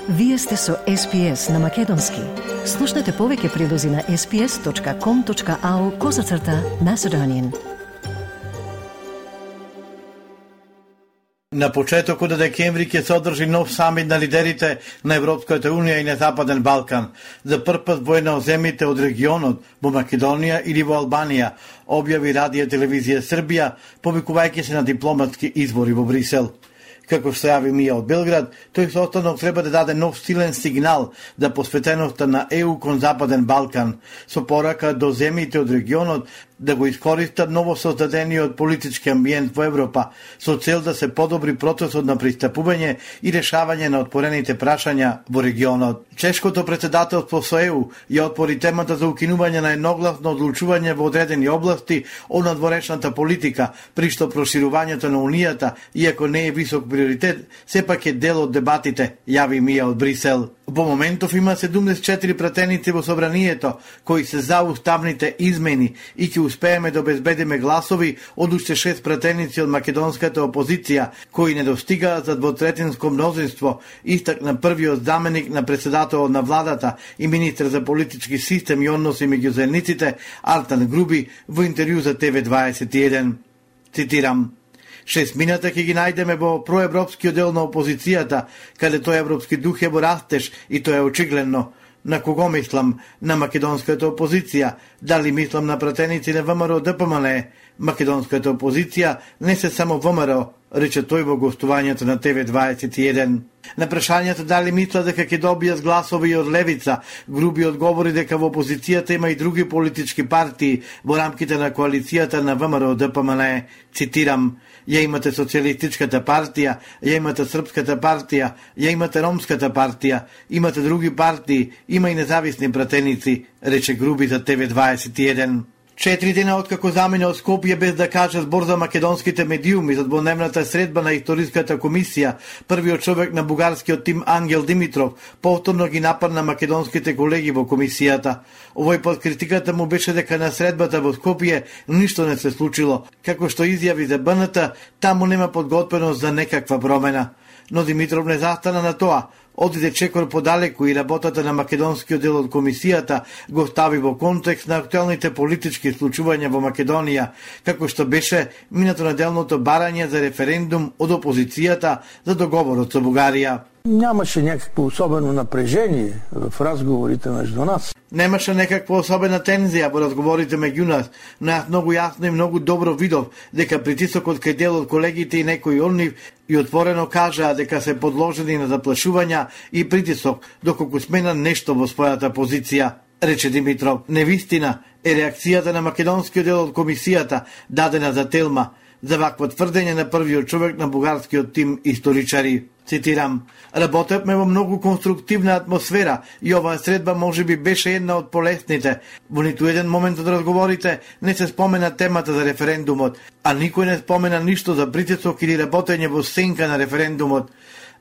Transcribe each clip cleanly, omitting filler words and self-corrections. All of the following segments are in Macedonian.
Вие сте со SPS на Македонски. Слушнете повеќе прилози на sps.com.au/Macedonian. На почетокот на декември ќе се одржи нов самит на лидерите на Европската Унија и на Западен Балкан. За прв пат во една од земјите од регионот, во Македонија или во Албанија, објави Радио Телевизија Србија, повикувајќи се на дипломатски извори во Брисел. Како што јави Мија од Белград, тој состанок треба да даде нов силен сигнал за посветеноста на ЕУ кон Западен Балкан, со порака до земјите од регионот да го искористат новосоздадениот политички амбиент во Европа, со цел да се подобри процесот на пристапување и решавање на отпорените прашања во регионот. Чешкото председателство со ЕУ ја отвори темата за укинување на едногласно одлучување во одредени области од надворешната политика, при што проширувањето на Унијата, иако не е висок приоритет, сепак е дел од дебатите, јави Мија од Брисел. Во моментов има 74 пратеници во собранието кои се за уставните измени и ќе успееме да обезбедиме гласови од уште 6 пратеници од македонската опозиција кои не достигаат за двотретинско мнозинство, истакна првиот заменик на председателот на владата и министр за политички систем и односи меѓу заедниците Артан Груби во интервју за TV21. Цитирам: 6 мината ќе ги најдеме во проевропскиот дел на опозицијата, каде тој европски дух е во растеж и тоа е очигледно. На кого мислам? На македонската опозиција. Дали мислам на пратеници на ВМРО ДПМН? Македонската опозиција не се само ВМРО, рече тој во гостувањето на TV21. На прашањето дали мисла дека ќе добијат гласови и од левица, Груби одговори дека во опозицијата има и други политички партии во рамките на коалицијата на ВМРО ДПМН. Цитирам: ја имате Социјалистичката партија, ја имате Српската партија, ја имате Ромската партија, имате други партии, има и независни пратеници, рече Груби за TV21. 4 дена откако замина од Скопје без да каже збор за македонските медиуми за дводневната средба на историската комисија, првиот човек на бугарскиот тим Ангел Димитров повторно ги нападна македонските колеги во комисијата. Овој пат критиката му беше дека на средбата во Скопје ништо не се случило, како што изјави за БНТ, таму нема подготвеност за некаква промена. Но Димитров не застана на тоа. Одиде чекор подалеку и работата на македонскиот дел од комисијата го стави во контекст на актуелните политички случувања во Македонија, како што беше минатонеделното барање за референдум од опозицијата за договорот со Бугарија. Нямаше някакво особено напрежение в разговорите между нас. Немаше некаква особена тензија во разговорите меѓу нас, но јас многу јасно и многу добро видов дека притисокот кај дел од колегите и некои од нив и отворено кажаа дека се подложени на заплашувања и притисок доколку смена нешто во својата позиција, рече Димитров. Невистина е реакцијата на македонскиот дел од комисијата дадена за Телма за вакво тврдење на првиот човек на бугарскиот тим историчари. Цитирам: работевме во многу конструктивна атмосфера и оваа средба можеби беше една од полесните. Во ниту еден момент од разговорите не се спомена темата за референдумот, а никој не спомена ништо за притисок или работење во сенка на референдумот.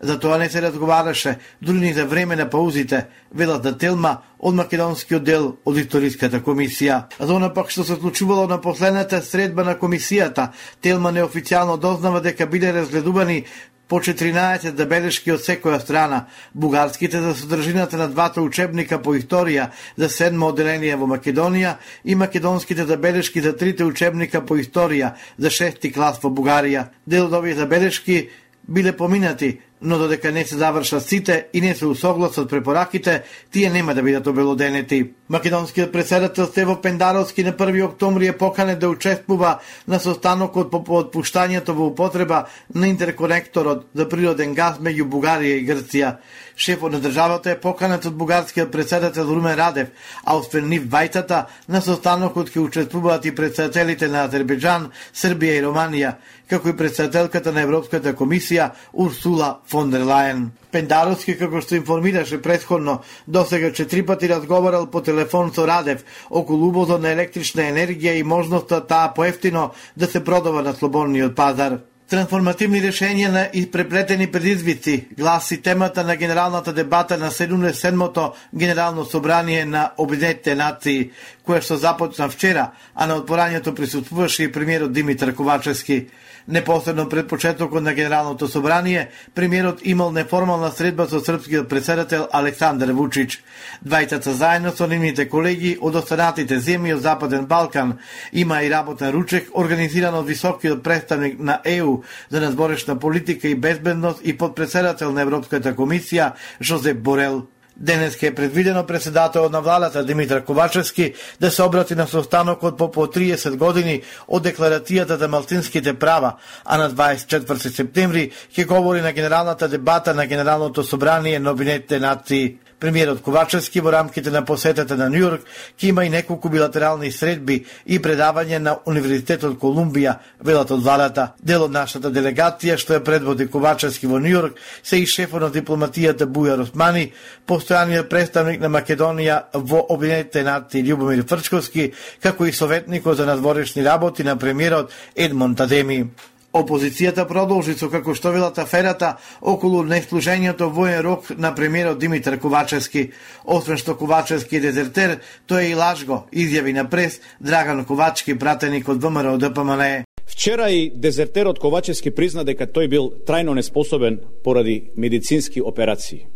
За тоа не се разговараше, дури ни за време на паузите, велат за Телма од македонскиот дел од историската комисија. За она пак што се случувало на последната средба на комисијата, Телма неофицијално дознава дека биле разгледувани по 14 забелешки од секоја страна, бугарските за содржината на двата учебника по историја за 7 одделение во Македонија и македонските забелешки за 3 учебника по историја за 6 клас во Бугарија. Дел од овие забелешки биле поминати, но додека не се завршат сите и не се усогласат препораките, тие нема да бидат обелоденети. Македонскиот председател Стево Пендаровски на 1 октомври е поканет да учествува на состанокот по отпуштањето во употреба на интерконекторот за природен газ меѓу Бугарија и Грција. Шефот на државата е поканет од бугарскиот председател Румен Радев, а освен нив двајтата на состанокот ќе учествуваат и председателите на Азербејџан, Србија и Романија, како и председателката на Европската комисија Урсула фон дер Лајен. Пендаровски, како што информираше претходно, досега 4 пати разговарал по телефон со Радев околу увозот на електрична енергија и можноста таа поевтино да се продава на слободниот пазар. Трансформативни решенија на испреплетени предизвици гласи темата на генералната дебата на 77-то Генерално собрание на Обединетите нации, кое што започна вчера, а на отворањето присуствуваше и премиерот Димитар Ковачевски. Непосредно пред почетокот на Генералното собрание, премиерот имал неформална средба со српскиот претседател Александар Вучич. Двајцата заедно со нивните колеги од останатите земји од Западен Балкан има и работен ручек организиран од високиот представник на ЕУ за надворешна политика и безбедност и подпредседател на Европската комисија Жозеп Борел. Денеска е предвидено председателот на владата Димитар Ковачевски да се обрати на состанокот по 30 години од Декларацијата за малцинските права, а на 24 септември ќе говори на генералната дебата на Генералното собрание на Обединетите нации. Премиерот Ковачевски во рамките на посетата на Њујорк ќе има и неколку билатерални средби и предавање на Универзитетот Колумбија, велат од владата. Дел од нашата делегација што ја предводи Ковачевски во Њујорк се и шефот на дипломатијата Бујар Османи, постојаниот представник на Македонија во Обединетите нации Љубомир Фрчковски, како и советникот за надворешни работи на премиерот Едмонд Адеми. Опозицијата продолжи со како што велат аферата околу неслужењето воен рок на премиерот Димитар Ковачевски. Освен што Ковачевски е дезертер, тој е и лажго, изјави на прес Драган Ковачки, пратеник од ВМРО ДПМНЕ. Вчера и дезертерот Ковачевски призна дека тој бил трајно неспособен поради медицински операции.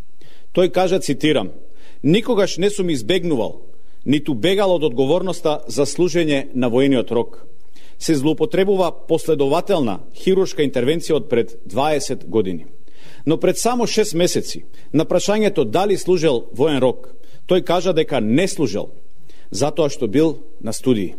Тој кажа, цитирам: "Никогаш не сум избегнувал, ниту бегал од одговорноста за служење на воениот рок. Се злоупотребува последователна хируршка интервенција од пред 20 години. Но пред само 6 месеци, на прашањето дали служел воен рок, тој кажа дека не служел, затоа што бил на студии.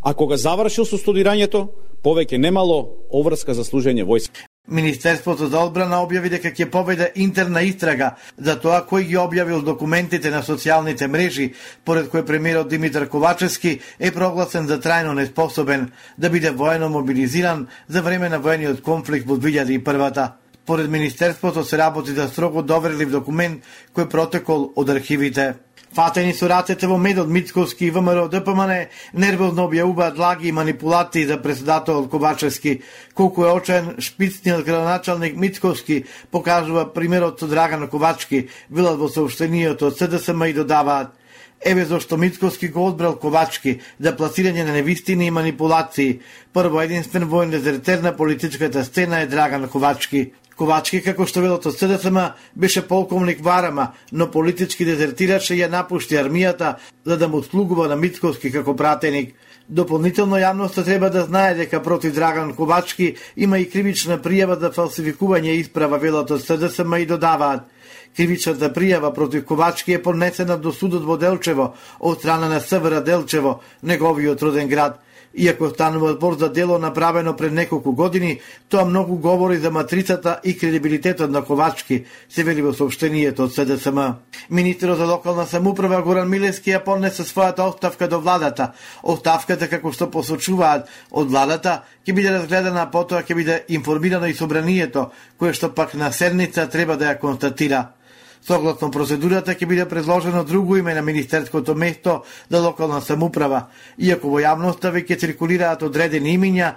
А кога завршил со студирањето, повеќе немало обврска за служење војска." Министерството за одбрана објави дека ќе поведе интерна истрага за тоа кој ги објавил документите на социјалните мрежи, поред кој премиерот Димитар Ковачевски е прогласен за трајно неспособен да биде воено мобилизиран за време на воениот конфликт во 2001-та. Поред Министерството се работи за строго доверлив документ кој протекол од архивите. Фатени со рацете во медот Мицковски и ВМРО ДПМНЕ нервозно објавуваат лаги и манипулации за председателот Ковачевски. Колку е очен шпицниот градоначалник Мицковски, покажува примерот со Драган Ковачки, велат во сообщенијето од СДСМ и додаваат: "Еве зашто Мицковски го одбрал Ковачки за пласирање на невистини и манипулации. Прво единствен воен дезертер на политичката сцена е Драган Ковачки. Ковачки, како што велот од СДСМ, беше полковник во Арама, но политички дезертираше и ја напушти армијата за да му слугува на Мицковски како пратеник. Дополнително јавноста треба да знае дека против Драган Ковачки има и кривична пријава за фалсификување исправа, велот од СДСМ и додаваат: "Кривичната пријава против Ковачки е поднесена до судот во Делчево од страна на СВР Делчево, неговиот роден град. Иако станува збор за дело направено пред неколку години, тоа многу говори за матрицата и кредибилитетот на Ковачки", се вели во сообщенијето од СДСМ. Министерот за локална самоуправа Горан Милевски ја поднесе својата оставка до владата. Оставката, како што посочуваат од владата, ќе биде разгледана, потоа ќе биде информирано и собранието, кое што пак на седница треба да ја констатира. Согласно процедурата ќе биде предложено друго име на министерското место за локална самоуправа, иако во јавноста веќе циркулираат одредени имиња,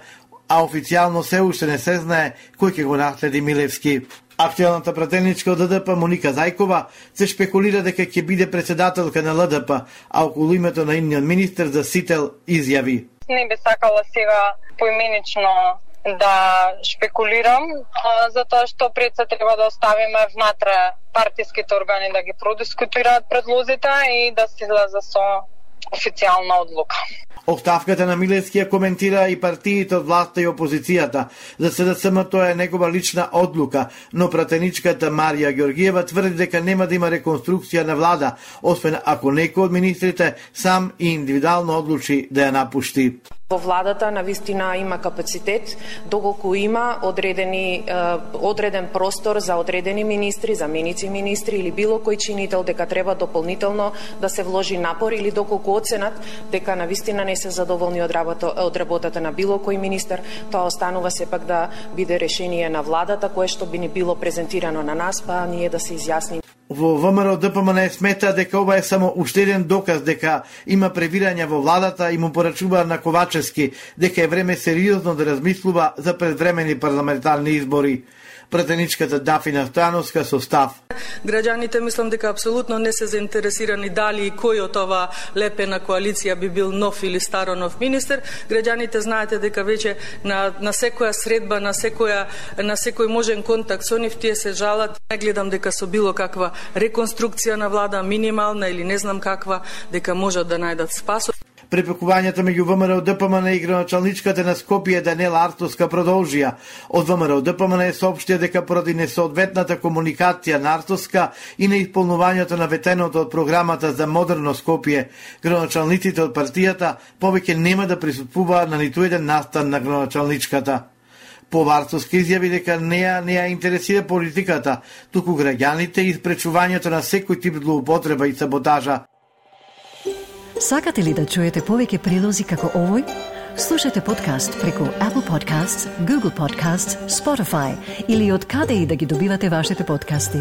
а официјално се уште не се знае кој ќе го наследи Милевски. Актуелната пратеничка од ЛДП Моника Зајкова се шпекулира дека ќе биде председателка на ЛДП, а околу името на идниот министер за Сител изјави: "Не би сакала сега поименично да шпекулирам, затоа што пред се треба да оставиме внатре партиските органи да ги продискутираат предлозите и да се излезе со официјална одлука." Оставката на Милевски ја коментира и партиите од власта и опозицијата. За СДСМ тоа е негова лична одлука, но пратеничката Марија Ѓоргиева тврди дека нема да има реконструкција на влада, освен ако некој од министрите сам и индивидуално одлучи да ја напушти. Во владата навистина има капацитет, доколку има одреден простор за одредени министри, заменици министри или било кој чинител дека треба дополнително да се вложи напор, или доколку оценат дека навистина не се задоволни од работата на било кој министер, тоа останува сепак да биде решение на владата, кое што би ни било презентирано на нас, па ние да се изјасним. Во ВМРО ДПМНЕ смета дека ова е само уште еден доказ дека има превирање во владата и му порачува на Ковачевски дека е време сериозно да размислува за предвремени парламентарни избори. пратеничката Дафина Стојановска со став. Граѓаните мислам дека апсолутно не се заинтересирани дали и кој од ова лепена коалиција би бил нов или старо нов министер. Граѓаните знаете дека веќе на секоја средба, на секој можен контакт со нив тие се жалат. Не гледам дека со било каква реконструкција на влада, минимална или не знам каква, дека можат да најдат спас. Препекувањата меѓу ВМРО ДПМН и градоначалничката на Скопје Даниела Артовска продолжија. Од ВМРО ДПМН соопштија дека поради несоодветната комуникација на Артовска и неисполнувањето на ветеното од програмата за модерно Скопје, градоначалниците од партијата повеќе нема да присуствуваат на ниту еден настан на градоначалничката. Артовска изјави дека не ја интересира политиката, туку граѓаните и спречувањето на секој тип злоупотреба и саботажа. Сакате ли да чуете повеќе прилози како овој? Слушате подкаст преку Apple Podcasts, Google Podcasts, Spotify или од каде и да ги добивате вашите подкасти.